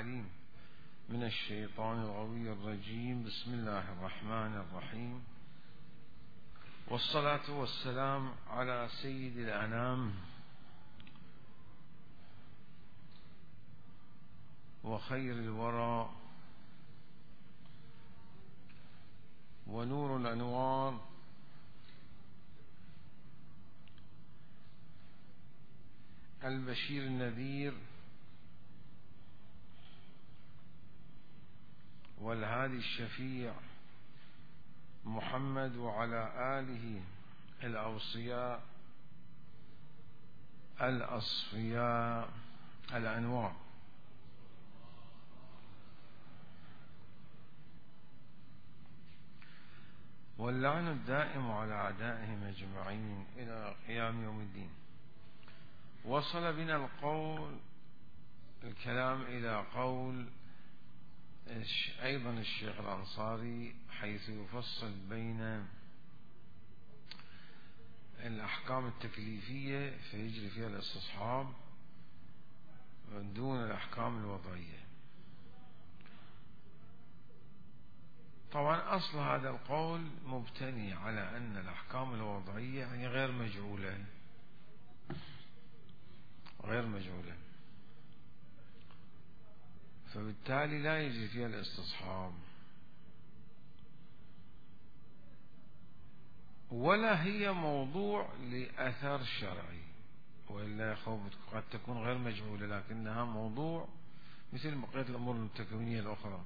العليم من الشيطان الغوي الرجيم. بسم الله الرحمن الرحيم، والصلاة والسلام على سيد الأنام وخير الورى ونور الأنوار البشير النذير والهادي الشفيع محمد وعلى آله الأوصياء الأصفياء الأنوار. واللعن الدائم على أعدائهم أجمعين إلى قيام يوم الدين. وصل بنا الكلام إلى قول أيضا الشيخ الأنصاري، حيث يفصل بين الأحكام التكليفية فيجري فيها الاستصحاب دون الأحكام الوضعية. طبعا أصل هذا القول مبتني على أن الأحكام الوضعية يعني غير مجعولة، فبالتالي لا يجري فيها الاستصحاب، ولا هي موضوع لأثر شرعي، وإلا قد تكون غير مجعولة لكنها موضوع مثل بقية الأمور التكوينية الأخرى،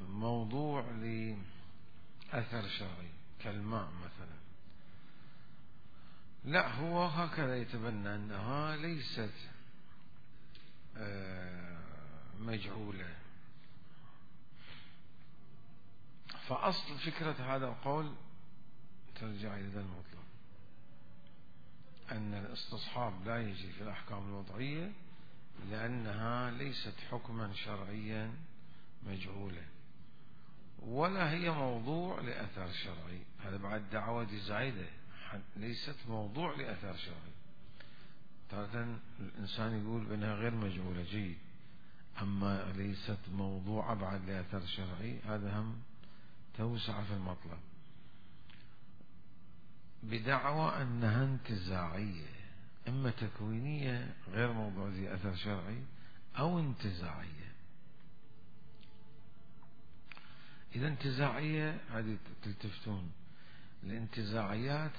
موضوع لأثر شرعي كالماء مثلا. لا، هو هكذا يتبنى أنها ليست مجعولة. فأصل فكرة هذا القول ترجع إلى المطلب، أن الاستصحاب لا يجري في الأحكام الوضعية لأنها ليست حكما شرعيا مجعولة، ولا هي موضوع لأثر شرعي. هذا بعد دعوة زايدة، ليست موضوع لأثر شرعي. تارة الإنسان يقول بأنها غير مجعولة جيد، أما ليست موضوع بعد لأثر شرعي هذا هم توسع في المطلب، بدعوى أنها انتزاعية، إما تكوينية غير موضوع ذي أثر شرعي أو انتزاعية. إذا انتزاعية هذه تلتفتون، الانتزاعيات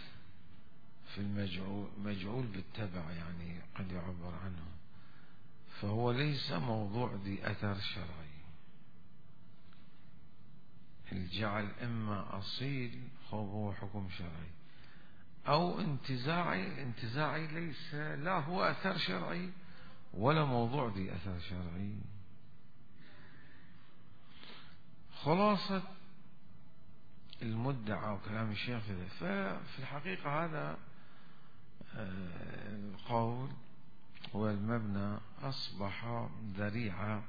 في مجعول بالتبع يعني قد يعبر عنه، فهو ليس موضوع ذي أثر شرعي. الجعل إما أصيل هو حكم شرعي أو انتزاعي. الانتزاعي ليس لا هو أثر شرعي ولا موضوع ذي أثر شرعي. خلاصة المدعى وكلام الشيخ ففي الحقيقة هذا القول والمبنى أصبح ذريعة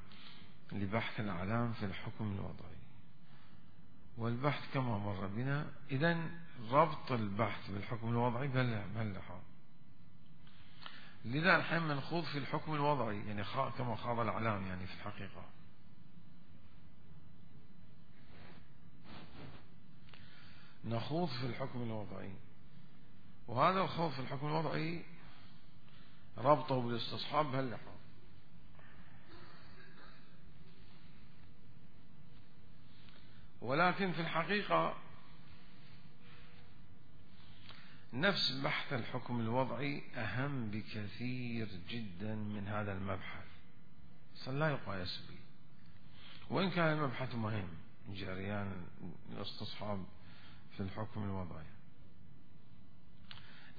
لبحث الأعلام في الحكم الوضعي، والبحث كما مر بنا. إذن ربط البحث بالحكم الوضعي بهاللحاظ. لذا الحين نخوض في الحكم الوضعي يعني كما خاض الأعلام يعني في الحقيقة. نخوض في الحكم الوضعي، وهذا الخوض في الحكم الوضعي ربطه بالاستصحاب بهاللحاظ. ولكن في الحقيقة نفس بحث الحكم الوضعي أهم بكثير جدا من هذا المبحث، لا يقاس به. وإن كان المبحث مهم، جريان الاستصحاب في الحكم الوضعي،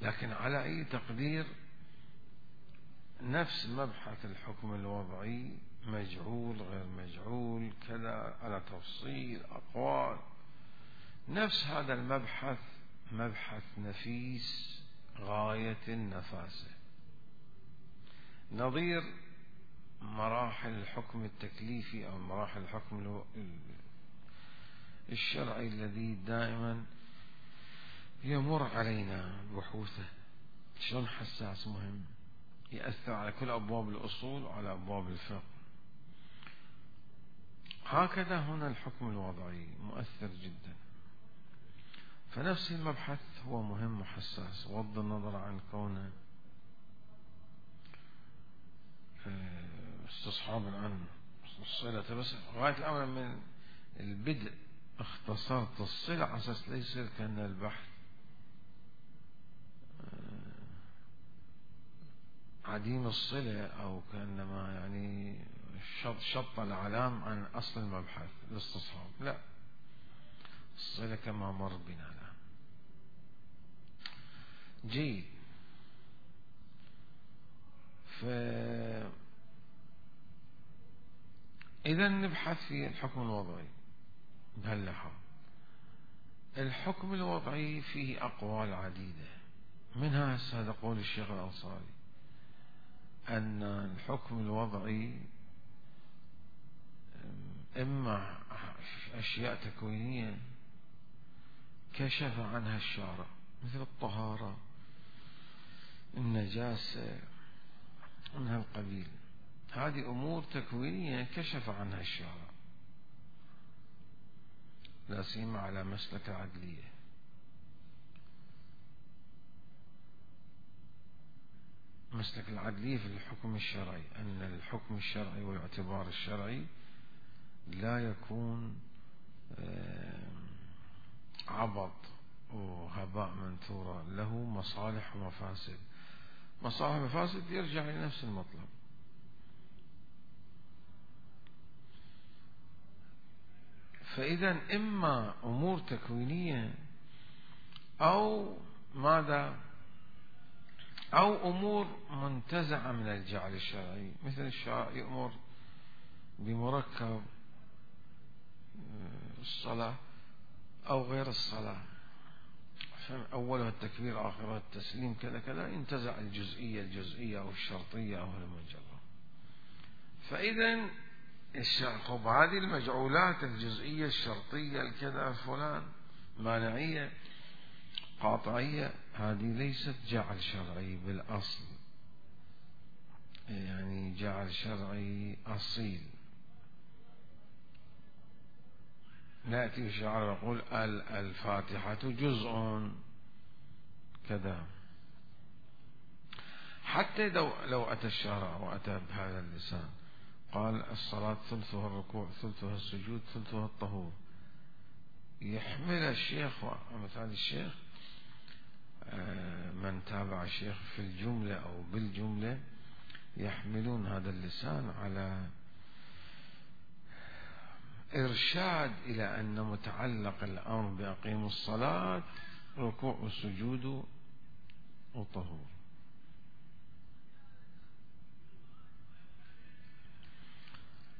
لكن على أي تقدير نفس مبحث الحكم الوضعي مجعول غير مجعول كذا على تفصيل أقوال. نفس هذا المبحث مبحث نفيس غاية النفاسة، نظير مراحل الحكم التكليفي أو مراحل الحكم الشرعي الذي دائما يمر علينا بحوثه. شلون حساس مهم، يأثر على كل أبواب الأصول وعلى أبواب الفقه. هكذا هنا الحكم الوضعي مؤثر جدا. فنفس المبحث هو مهم وحساس، بغض النظر عن كونه استصحاب الآن الصلة، بس غاية الأمر من البدء اختصرت الصلة على أساس لا يصير كأن البحث عديم الصلة، أو كأنما يعني شط العلام عن أصل المبحث الاستصحاب. لا، الصلة كما مر بنا. لا. جيد. إذا نبحث في الحكم الوضعي بهاللحظة. الحكم الوضعي فيه أقوال عديدة، منها هذا قول الشيخ الأنصاري أن الحكم الوضعي إما أشياء تكوينية كشف عنها الشارع، مثل الطهارة، النجاسة، من هالقبيل. هذه أمور تكوينية كشف عنها الشارع، لا سيما على مسلك العدلية. مسلك العدلية في الحكم الشرعي أن الحكم الشرعي والاعتبار الشرعي لا يكون عبط وهباء منثورا، له مصالح ومفاسد. مصالح ومفاسد يرجع لنفس المطلب. فإذا إما أمور تكوينية أو ماذا، أو أمور منتزعة من الجعل الشرعي، مثل الشرع يأمر بمركب الصلاة أو غير الصلاة، أولها التكبير آخرها التسليم كذا كذا، ينتزع الجزئية أو الشرطية أو المجرة. فإذا الشرع هذه المجعولات الجزئية الشرطية الكذا فلان مانعية قاطعية، هذه ليست جعل شرعي بالأصل، يعني جعل شرعي أصيل. نأتي الشاعر يقول الفاتحة جزء كذا. حتى لو أتى الشارع وأتى بهذا اللسان قال الصلاة ثلثها الركوع ثلثها السجود ثلثها الطهور، يحمل الشيخ ومثال الشيخ من تابع الشيخ في الجملة أو بالجملة يحملون هذا اللسان على إرشاد إلى أن متعلق الأمر بأقيم الصلاة ركوع وسجود وطهور.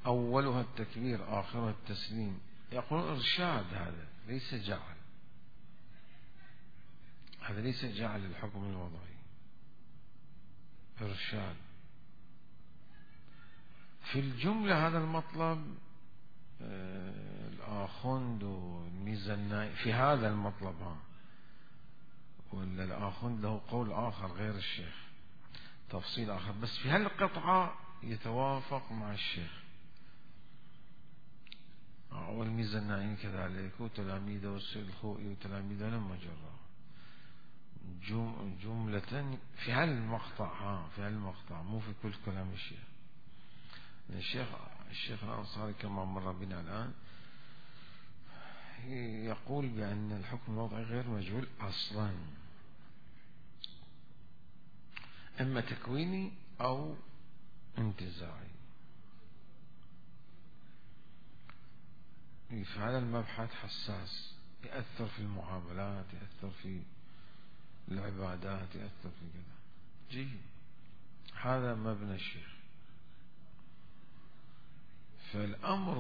أولها التكبير آخرها التسليم، يقول إرشاد، هذا ليس جعل، هذا ليس جعل الحكم الوضعي، إرشاد. في الجملة هذا المطلب الآخوند والميزاني في هذا المطلب ولا الآخوند له قول آخر غير الشيخ، تفصيل آخر، بس في هالقطعة يتوافق مع الشيخ. والميزاني كذلك وتلاميذه والسيد الخوئي وتلاميذه لما جرى جملة في هالمقطع في هالمقطع، مو في كل كلام الشيخ. الشيخ الأنصاري كما مر بنا الآن يقول بأن الحكم الوضعي غير مجهول أصلا، إما تكويني أو انتزاعي. فهذا المبحث حساس، يأثر في المعاملات، يأثر في العبادات، يأثر في كذا. جيد، هذا مبنى الشيخ. فالأمر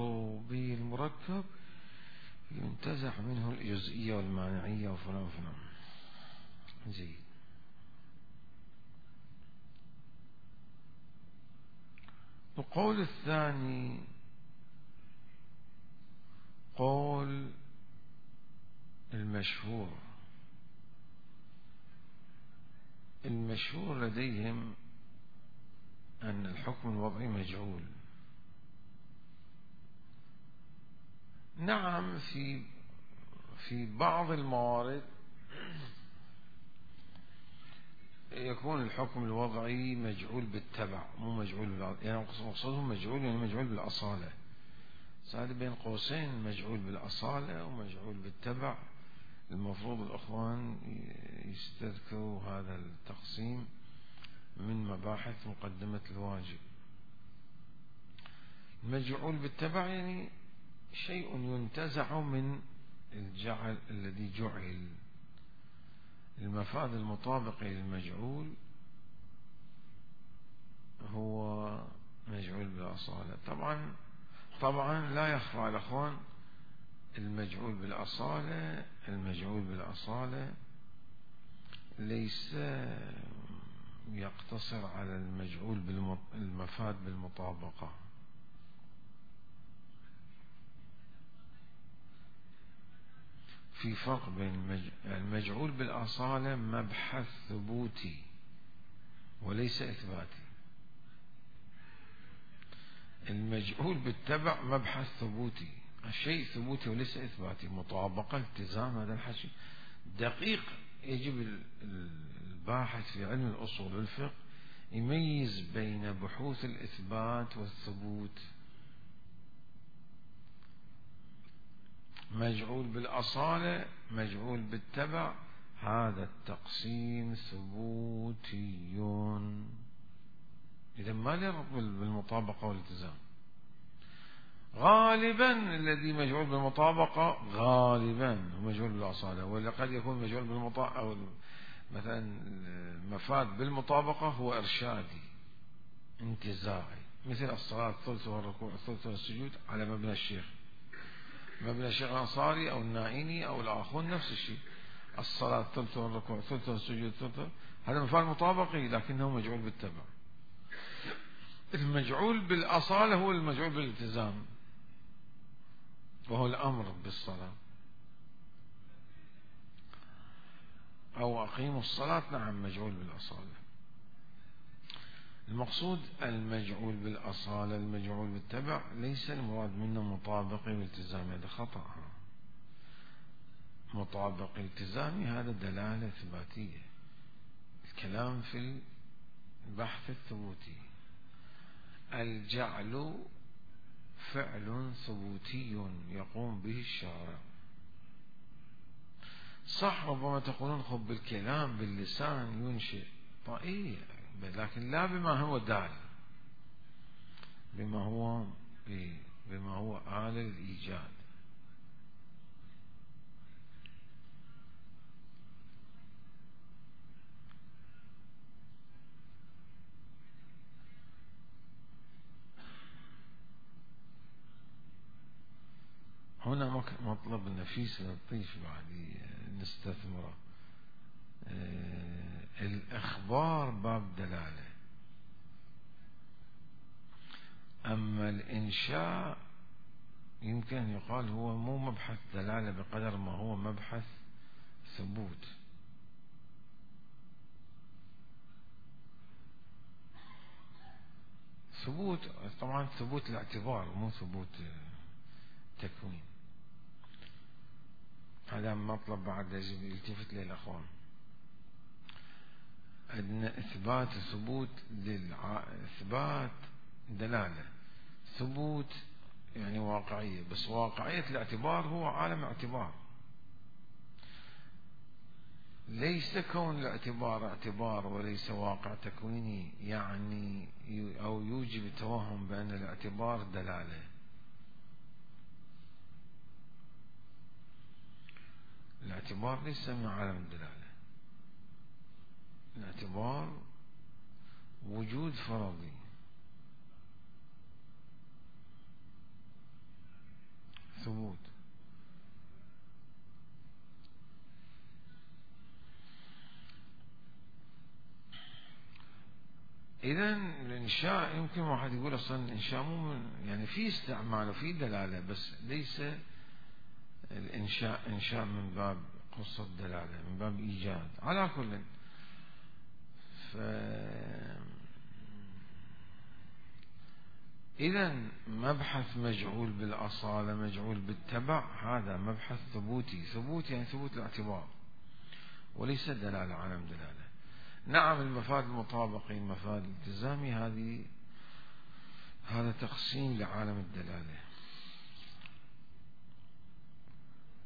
بالمركب ينتزع منه الجزئية والمانعية وفلان وفلان. جيد. القول الثاني قول المشهور لديهم أن الحكم الوضعي مجعول، نعم، في بعض الموارد يكون الحكم الوضعي مجعول بالتبع، مو مجعول يعني مقصودهم مجعول يعني مجعول بالأصالة. هذا بين قوسين مجعول بالأصالة ومجعول بالتبع. المفروض الأخوان يستذكروا هذا التقسيم من مباحث مقدمة الواجب. المجعول بالتبع يعني شيء ينتزع من الجعل الذي جعل. المفاد المطابق للمجعول هو مجعول بالأصالة. طبعا لا يخفى على الأخوان المجعول بالأصالة ليس يقتصر على المجعول المفاد بالمطابقة. في فرق بين المجعول بالأصالة مبحث ثبوتي وليس إثباتي. المجعول بالتبع مبحث ثبوتي، الشيء ثبوتي وليس إثباتي، مطابقة، التزام. هذا الحكي دقيق. يجب الباحث في علم الأصول والفقه يميز بين بحوث الإثبات والثبوت. مجعول بالأصالة مجعول بالتبع، هذا التقسيم ثبوتي، إذا ما له ربط بالمطابقة والالتزام. غالبا الذي مجعول بالمطابقة غالبا هو مجعول بالأصالة، ولا قد يكون مجعول بالمطابقة أو مثلا المفاد بالمطابقة هو إرشادي انتزاعي، مثل الصلاة الثلث والركوع الثلث والسجود على مبنى الشيخ الأنصاري أو النائيني أو الآخون، نفس الشيء. الصلاة الثلث والركوع الثلث والسجود الثلث، هذا مفاد مطابقي لكنه مجعول بالتبع. المجعول بالأصالة هو المجعول بالالتزام، وهو الأمر بالصلاة أو أقيموا الصلاة. نعم، مجعول بالأصالة. المقصود المجعول بالأصالة المجعول بالتبع ليس المراد منه مطابقي والتزامي، هذا خطأ. مطابقي التزامي هذا دلالة إثباتية. الكلام في البحث الثبوتي. الجعل فعل ثبوتي يقوم به الشارع. صح، ربما تقولون خب بالكلام باللسان ينشئ، طيب، لكن لا بما هو دال، بما هو آلة الإيجاد. هنا مطلب نفيس لطيف بعد نستثمره. الإخبار باب دلالة، أما الإنشاء يمكن أن يقال هو مو مبحث دلالة بقدر ما هو مبحث ثبوت. طبعا ثبوت الاعتبار مو ثبوت تكوين. هذا مطلب بعد يجب يلتفت له الأخوان. عندنا إثبات ثبوت إثبات دلالة، ثبوت يعني واقعية، بس واقعية الاعتبار هو عالم اعتبار. ليس كون الاعتبار اعتبار وليس واقع تكويني يعني أو يوجب التوهم بأن الاعتبار دلالة. الاعتبار ليس من عالم الدلالة. الاعتبار وجود فرضي، ثبوت. إذن الإنشاء يمكن واحد يقول أصلا الإنشاء مو يعني في استعمال وفي دلالة، بس ليس الإنشاء إنشاء من باب قصة دلالة، من باب إيجاد. على كل إذن مبحث مجعول بالأصالة مجعول بالتبع هذا مبحث ثبوتي، ثبوت يعني ثبوت الاعتبار وليس دلالة عالم دلالة. نعم المفاد المطابقي المفاد الالتزامي هذا تقسيم لعالم الدلالة،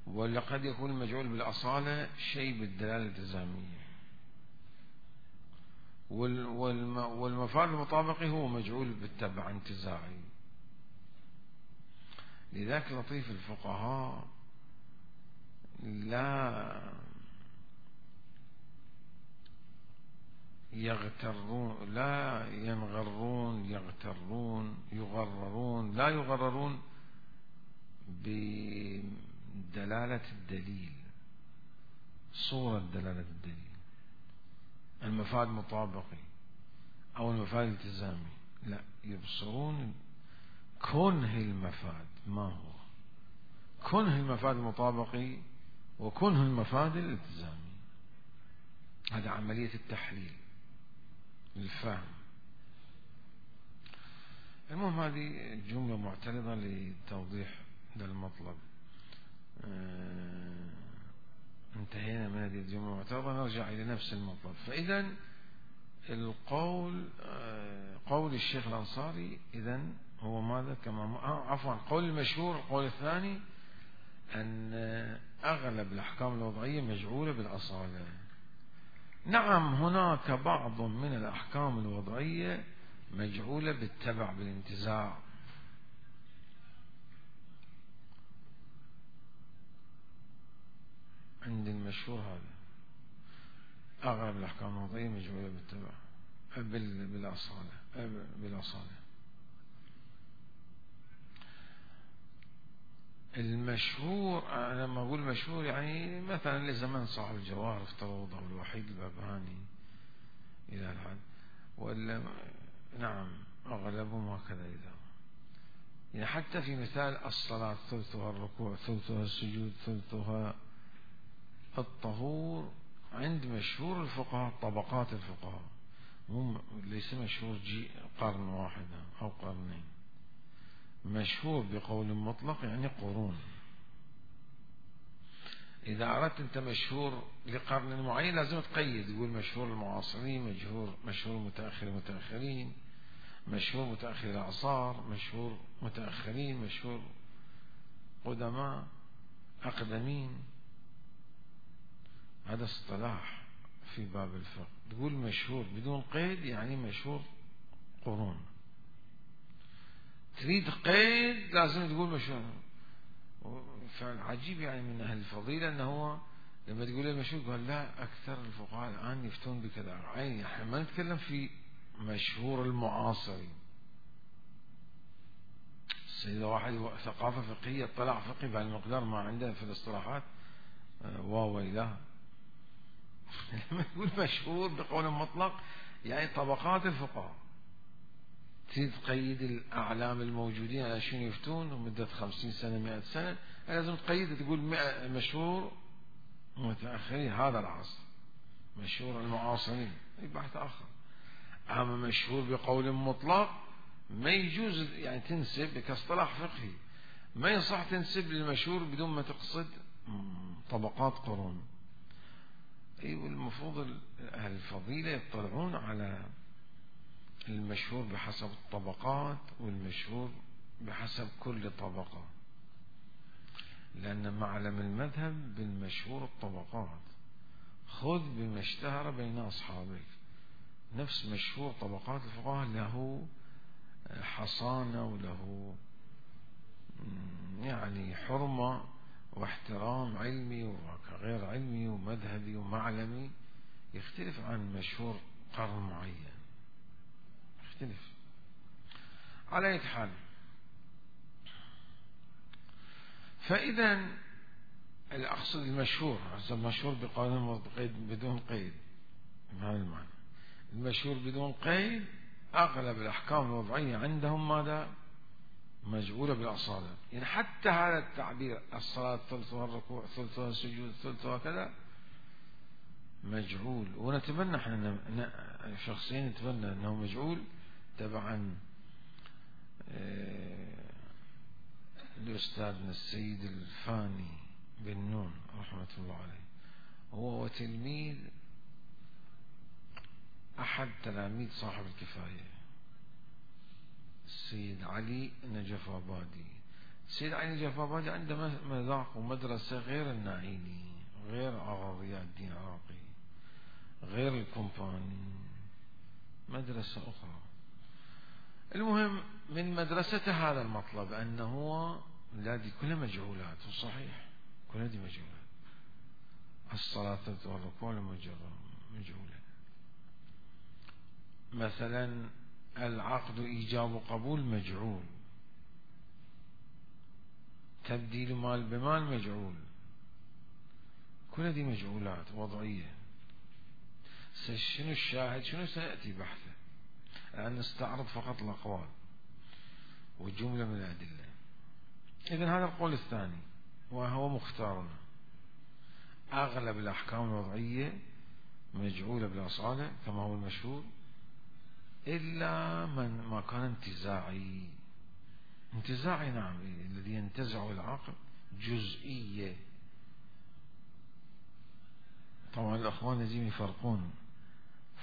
ولقد يكون المجعول بالأصالة شيء بالدلالة الالتزامية، والمفاد المطابقي هو مجعول بالتبع انتزاعي. لذلك لطيف الفقهاء لا يغترون، لا ينغرون، يغررون، لا يغررون بدلالة الدليل، صورة دلالة الدليل، المفاد المطابقي أو المفاد الالتزامي، لا، يبصرون كنه المفاد ما هو، كنه المفاد المطابقي وكنه المفاد الالتزامي. هذا عملية التحليل الفهم. المهم هذه جملة معترضة لتوضيح هذا المطلب. انتهينا من هذه الجملة المعترضة، نرجع إلى نفس المطلب. فإذا القول قول الشيخ الأنصاري إذن هو ماذا؟ كما عفوا قول المشهور القول الثاني أن أغلب الأحكام الوضعية مجعولة بالأصالة. نعم هناك بعض من الأحكام الوضعية مجعولة بالتبع بالانتزاع، عند المشهور هذا أغلب الأحكام الوضعية مجعولة بالتبع بالأصالة. المشهور أنا لما أقول مشهور يعني مثلا لزمن صاحب الجواهر افترضه الوحيد البابهاني إلى الحد، ولا نعم أغلبهم هكذا. إذا يعني حتى في مثال الصلاة ثلثها الركوع ثلثها السجود ثلثها الطهور، عند مشهور الفقهاء طبقات الفقهاء، ليس مشهور قرن واحد أو قرنين، مشهور بقول مطلق يعني قرون. إذا أردت أنت مشهور لقرن معين لازم تقيد، تقول مشهور المعاصرين، مشهور متأخرين، مشهور متأخر الأعصار، مشهور متأخرين، مشهور قدماء أقدمين. هذا اصطلاح في باب الفقه. تقول مشهور بدون قيد يعني مشهور قرون، تريد قيد لازم تقول مشهور. فالعجيب يعني من أهل الفضيلة أنه هو لما تقول له مشهور قال لا، أكثر الفقهاء الآن يفتون بكذا. عين احنا ما نتكلم في مشهور المعاصرين. إذا واحد ثقافة فقهية اطلاع فقهي بهالمقدار ما عنده في الاصطلاحات وويلاه. لما تقول مشهور بقول مطلق يعني طبقات الفقهاء، تريد تقيد الأعلام الموجودين على شنو يفتون ومدة 50 سنة 100 سنة، لازم تقيد تقول مشهور متأخرين هذا العصر، مشهور المعاصرين بحث آخر. أما مشهور بقول مطلق ما يجوز يعني تنسب كاصطلاح فقهي، ما يصح تنسب للمشهور بدون ما تقصد طبقات قرون. أيوة المفروض أهل الفضيلة يطلعون على المشهور بحسب الطبقات والمشهور بحسب كل طبقة، لأن معلم المذهب بالمشهور الطبقات، خذ بما اشتهر بين أصحابك. نفس مشهور طبقات الفقهاء له حصانة وله يعني حرمة واحترام علمي وغير علمي ومذهبي ومعلمي، يختلف عن مشهور قرن معين، يختلف. على أي حال، فإذا الأقصد المشهور المشهور بقول بدون قيد، بهذا المعنى المشهور بدون قيد أغلب الأحكام الوضعية عندهم ماذا؟ مجعولة بالأصالة. يعني حتى هذا التعبير الصلاة ثلثها الركوع ثلثها السجود ثلثها كذا مجعول، ونتمنى احنا شخصيا نتمنى انه مجعول تبعا لأستاذنا السيد الفاني بن نون رحمة الله عليه، هو وتلميذ أحد تلاميذ صاحب الكفاية السيد علي النجفابادي. السيد علي النجفابادي عنده مذاق ومدرسة غير الناعيني، غير ضياء الدين العراقي، غير الكومباني، مدرسة أخرى. المهم من مدرسته هذا المطلب أنه هذه كلها مجهولات، وصحيح كلها دي مجهولات. الصلاة والركوع مجهولة. مثلا العقد إيجاب وقبول مجهول، تبديل مال بمال مجهول، كل هذه مجهولات وضعية. شنو الشاهد؟ شنو سيأتي بحثه، لأن نستعرض فقط الأقوال وجملة من الأدلة. إذن هذا القول الثاني وهو مختارنا، أغلب الأحكام الوضعية مجعولة بالأصالة كما هو المشهور، إلا من ما كان انتزاعي. انتزاعي نعم، الذي ينتزع العقل جزئية. طبعا الأخوان لازم يفرقون،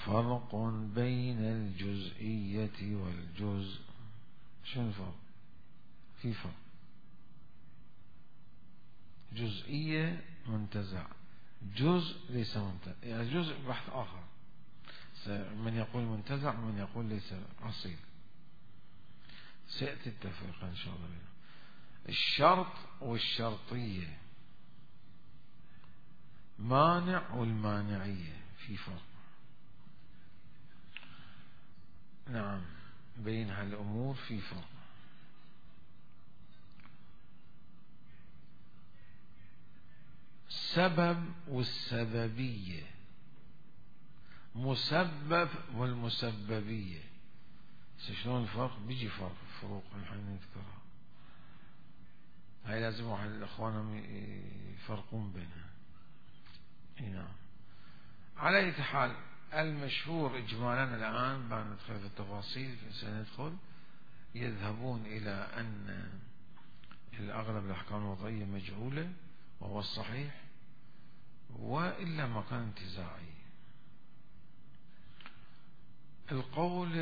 فرق بين الجزئية والجزء. شنو الفرق؟ في فرق. جزئية منتزع، جزء ليس منتزع، يعني جزء بحث آخر. من يقول منتزع ومن يقول ليس أصيل، سيأتي التفريق إن شاء الله. الشرط والشرطية، مانع والمانعية، في فرق. نعم بين هالأمور في فرق. سبب والسببية، مسبب والمسببية. شلون الفرق؟ بيجي فرق، فروق الحين نذكرها، هاي لازم واحد الأخوانهم يفرقون بينها. نعم. على أي حال المشهور إجمالا الآن بعد ندخل في التفاصيل سندخل، يذهبون إلى أن الأغلب الأحكام الوضعية مجهولة وهو الصحيح، وإلا ما كان انتزاعي. القول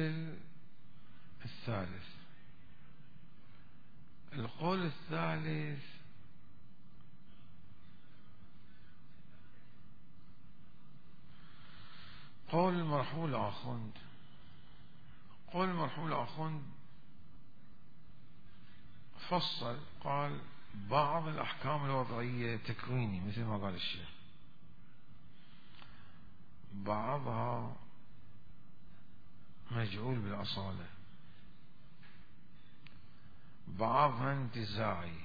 الثالث، القول الثالث قول المرحول آخوند. قول المرحول آخوند فصل، قال بعض الأحكام الوضعية تكويني مثل ما قال الشيخ، بعضها مجعول بالأصالة، بعضها انتزاعي.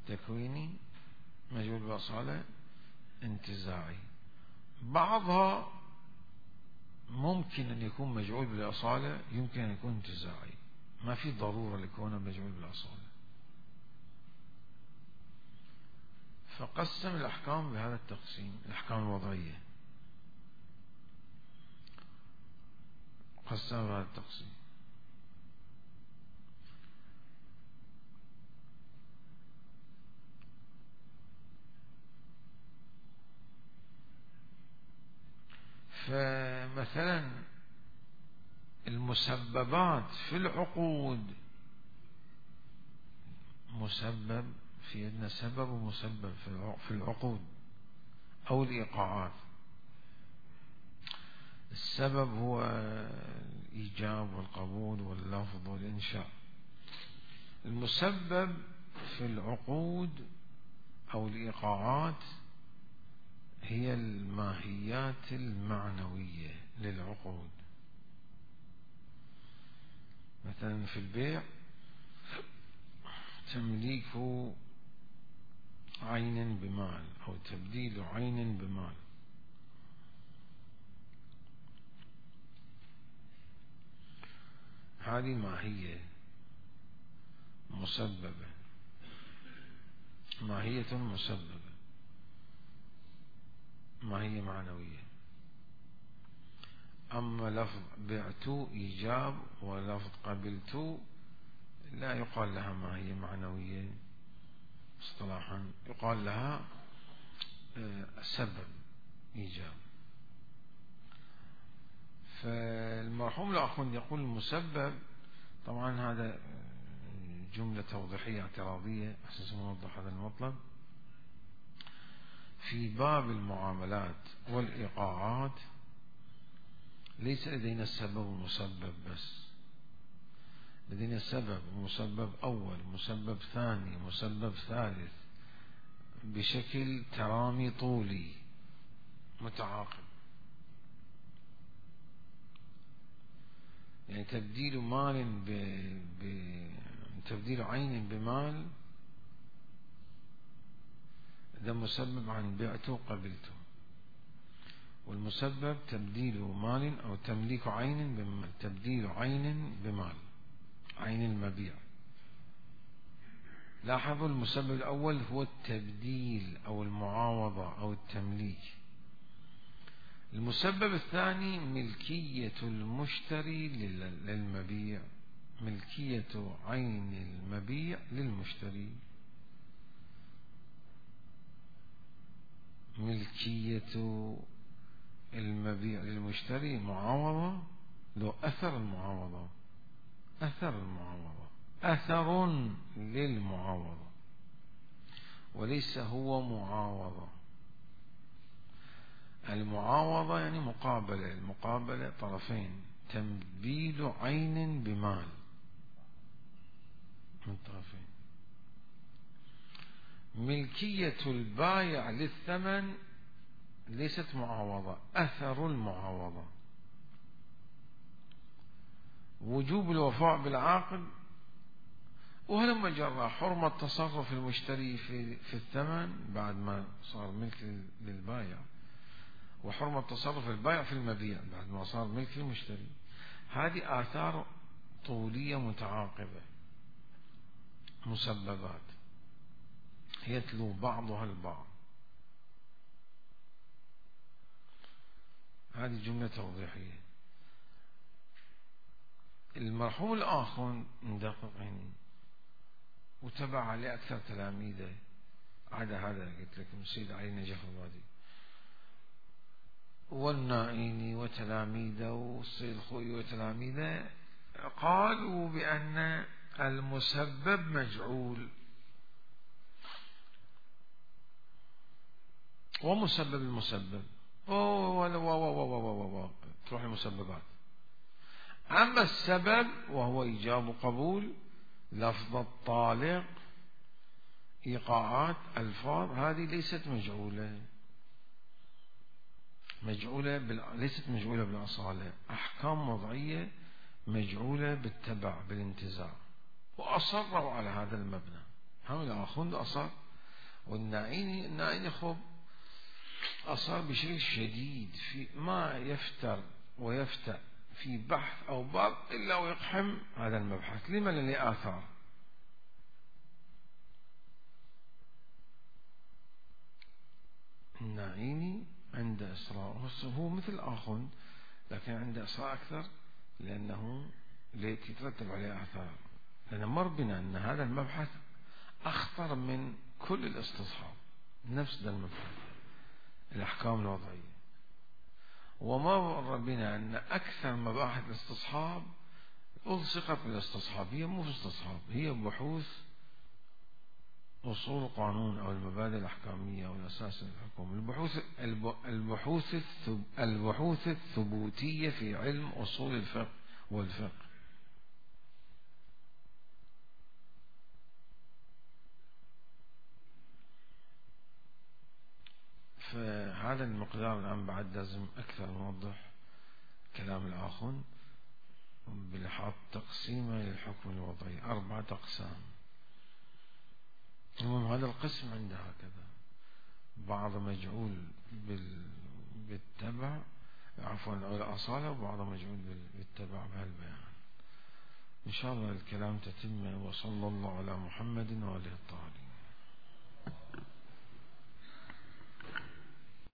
تكويني مجعول بالأصالة، انتزاعي. بعضها ممكن أن يكون مجعول بالأصالة، يمكن أن يكون انتزاعي، ما في ضرورة لكونه مجعول بالأصالة. فقسم الأحكام بهذا التقسيم، الأحكام الوضعية قسم بهذا التقسيم. فمثلا المسببات في العقود، مسبب في عندنا سبب ومسبب في العقود أو الإيقاعات. السبب هو الإيجاب والقبول واللفظ والإنشاء. المسبب في العقود أو الإيقاعات هي الماهيات المعنوية للعقود. مثلا في البيع تمليك عين بمال أو تبديل عين بمال. هذه ماهية مسببة، ماهية مسببة، ماهية معنوية. أما لفظ بعت إيجاب ولفظ قبلت لا يقال لها ماهية معنوية اصطلاحا، يقال لها سبب إيجاب. فالمرحوم الآخوند يقول المسبب، طبعا هذا جملة توضيحية اعتراضية أساس نوضح هذا المطلب. في باب المعاملات والإيقاعات ليس لدينا السبب والمسبب بس، لدينا سبب ومسبب أول، مسبب ثاني، مسبب ثالث، بشكل ترامي طولي متعاقب. يعني تبديل مال تبديل عين بمال، ده مسبب عن بعته وقبلته. والمسبب تبديل مال أو تمليك عين بمال، تبديل عين بمال، عين المبيع. لاحظوا المسبب الأول هو التبديل أو المعاوضة أو التمليك. المسبب الثاني ملكية المشتري للمبيع، ملكية عين المبيع للمشتري، ملكية المبيع للمشتري، معاوضة له أثر المعاوضة، أثر المعاوضة، أثر للمعاوضة وليس هو معاوضة. المعاوضة يعني مقابلة، المقابلة طرفين، تبديل عين بمال من طرفين. ملكية البائع للثمن ليست معاوضة، أثر المعاوضة. وجوب الوفاء بالعقد وهلم جرى، حرمة تصرف المشتري في الثمن بعد ما صار ملك للبائع، وحرمة تصرف البائع في المبيع بعد ما صار ملك المشتري. هذه آثار طولية متعاقبة، مسببات يتلو بعضها البعض. هذه جملة توضيحية. المرحوم الآخر مدقق يعني وتبع عليه أكثر تلاميذه، عدا هذا قلت لكم السيد علي نجف الوادي والنائيني وتلاميذه والسيد الخوئي وتلاميذه، قالوا بأن المسبب مجعول ومسبب المسبب تروح المسببات. أما السبب وهو إيجاب قبول، لفظ الطالق، إيقاعات، ألفاظ، هذه ليست مجعولة، ليست مجعولة بالأصالة، أحكام وضعية مجعولة بالتبع بالانتزاع. وأصروا على هذا المبنى، هم الآخوند أصر، والنائيني خب أصر بشكل شديد في ما يفتر ويفتأ في بحث أو باب إلا ويقحم هذا المبحث. لما؟ لأنه آثار. النائيني عنده إصرار، هو مثل آخوند لكن عنده إصرار أكثر، لأنه يترتب عليه آثار، لأن مر بنا أن هذا المبحث أخطر من كل الاستصحاب، نفس ذا المبحث الأحكام الوضعية. ومر بنا أن أكثر مباحث الاستصحاب ألصقت بالاستصحاب، هي مو في استصحاب، هي بحوث أصول القانون أو المبادئ الأحكامية أو الأساس الحكومي، البحوث الثبوتية في علم أصول الفقه والفقه. فهذا المقدار الآن بعد لازم أكثر نوضح كلام الآخون بلحاظ تقسيمه للحكم الوضعي 4 أقسام. المهم هذا القسم عنده هكذا، بعض مجعول بالتبع عفوا أو الأصالة، وبعض مجعول بالتبع بهالبيان. إن شاء الله الكلام تتم، وصلى الله على محمد وآله الطاهرين.